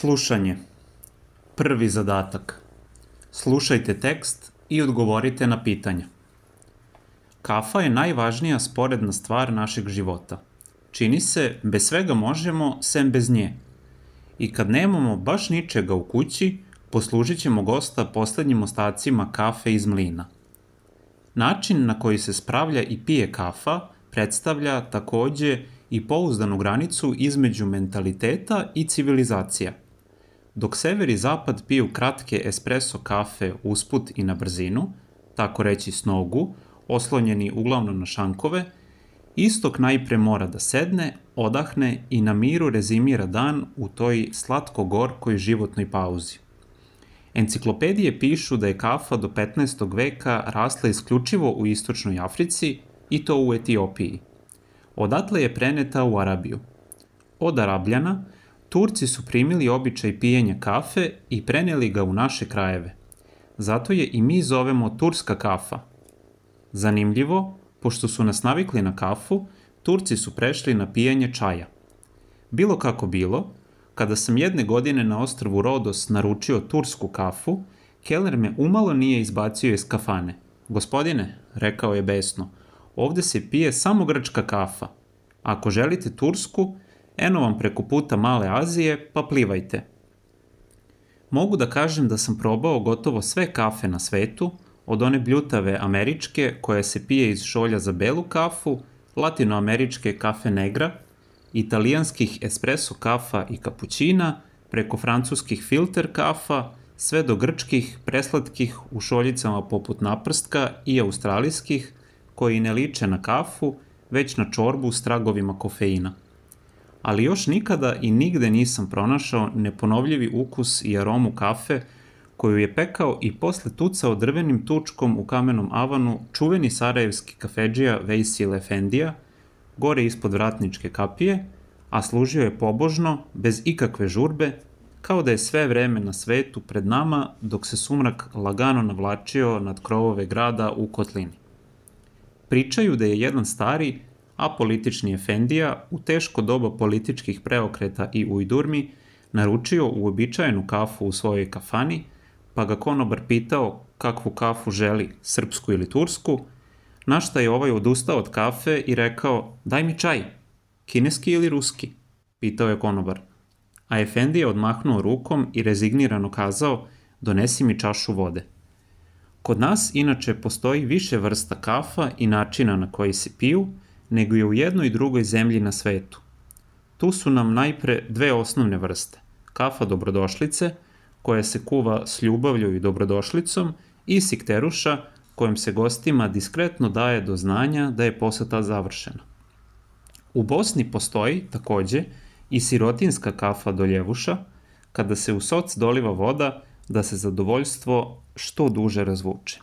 Slušanje. Prvi zadatak. Slušajte tekst i odgovorite na pitanja. Kafa je najvažnija sporedna stvar našeg života. Čini se, bez svega možemo, sem bez nje. I kad nemamo baš ničega u kući, poslužit ćemo gosta poslednjim ostacima kafe iz mlina. Način na koji se spravlja i pije kafa predstavlja takođe i pouzdanu granicu između mentaliteta i civilizacija. Dok sever i zapad piju kratke espresso kafe usput i na brzinu, tako reći s nogu, oslonjeni uglavnom na šankove, istok najpre mora da sedne, odahne i na miru rezimira dan u toj slatko-gorkoj životnoj pauzi. Enciklopedije pišu da je kafa do 15. veka rasla isključivo u istočnoj Africi i to u Etiopiji. Odatle je preneta u Arabiju. Od Arabljana Turci su primili običaj pijenja kafe i preneli ga u naše krajeve. Zato je i mi zovemo turska kafa. Zanimljivo, pošto su nas navikli na kafu, Turci su prešli na pijenje čaja. Bilo kako bilo, kada sam jedne godine na ostrvu Rodos naručio tursku kafu, keler me umalo nije izbacio iz kafane. "Gospodine," rekao je besno, "ovde se pije samo grčka kafa. Ako želite tursku, eno vam preko puta Male Azije, pa plivajte." Mogu da kažem da sam probao gotovo sve kafe na svetu, od one bljutave američke koja se pije iz šolja za belu kafu, latinoameričke kafe negra, italijanskih espresso kafa i kapućina, preko francuskih filter kafa, sve do grčkih, preslatkih u šoljicama poput naprstka i australijskih, koji ne liče na kafu, već na čorbu s tragovima kofeina. Ali još nikada i nigde nisam pronašao neponovljivi ukus i aromu kafe koju je pekao i posle tucao drvenim tučkom u kamenom avanu čuveni sarajevski kafedžija Vejsil Efendija, gore ispod vratničke kapije, a služio je pobožno, bez ikakve žurbe, kao da je sve vreme na svetu pred nama dok se sumrak lagano navlačio nad krovove grada u kotlini. Pričaju da je jedan stari, apolitični efendija u teško doba političkih preokreta i ujdurmi naručio uobičajenu kafu u svojoj kafani, pa ga konobar pitao kakvu kafu želi, srpsku ili tursku, na šta je ovaj odustao od kafe i rekao: "Daj mi čaj, kineski ili ruski?" pitao je konobar. A efendija odmahnuo rukom i rezignirano kazao: "Donesi mi čašu vode." Kod nas inače postoji više vrsta kafa i načina na koji se piju, nego je u jednoj i drugoj zemlji na svetu. Tu su nam najpre dve osnovne vrste: kafa dobrodošlice, koja se kuva s ljubavlju i dobrodošlicom, i sikteruša, kojom se gostima diskretno daje do znanja da je poseta završena. U Bosni postoji, takođe, i sirotinska kafa doljevuša, kada se u soc doliva voda da se zadovoljstvo što duže razvuče.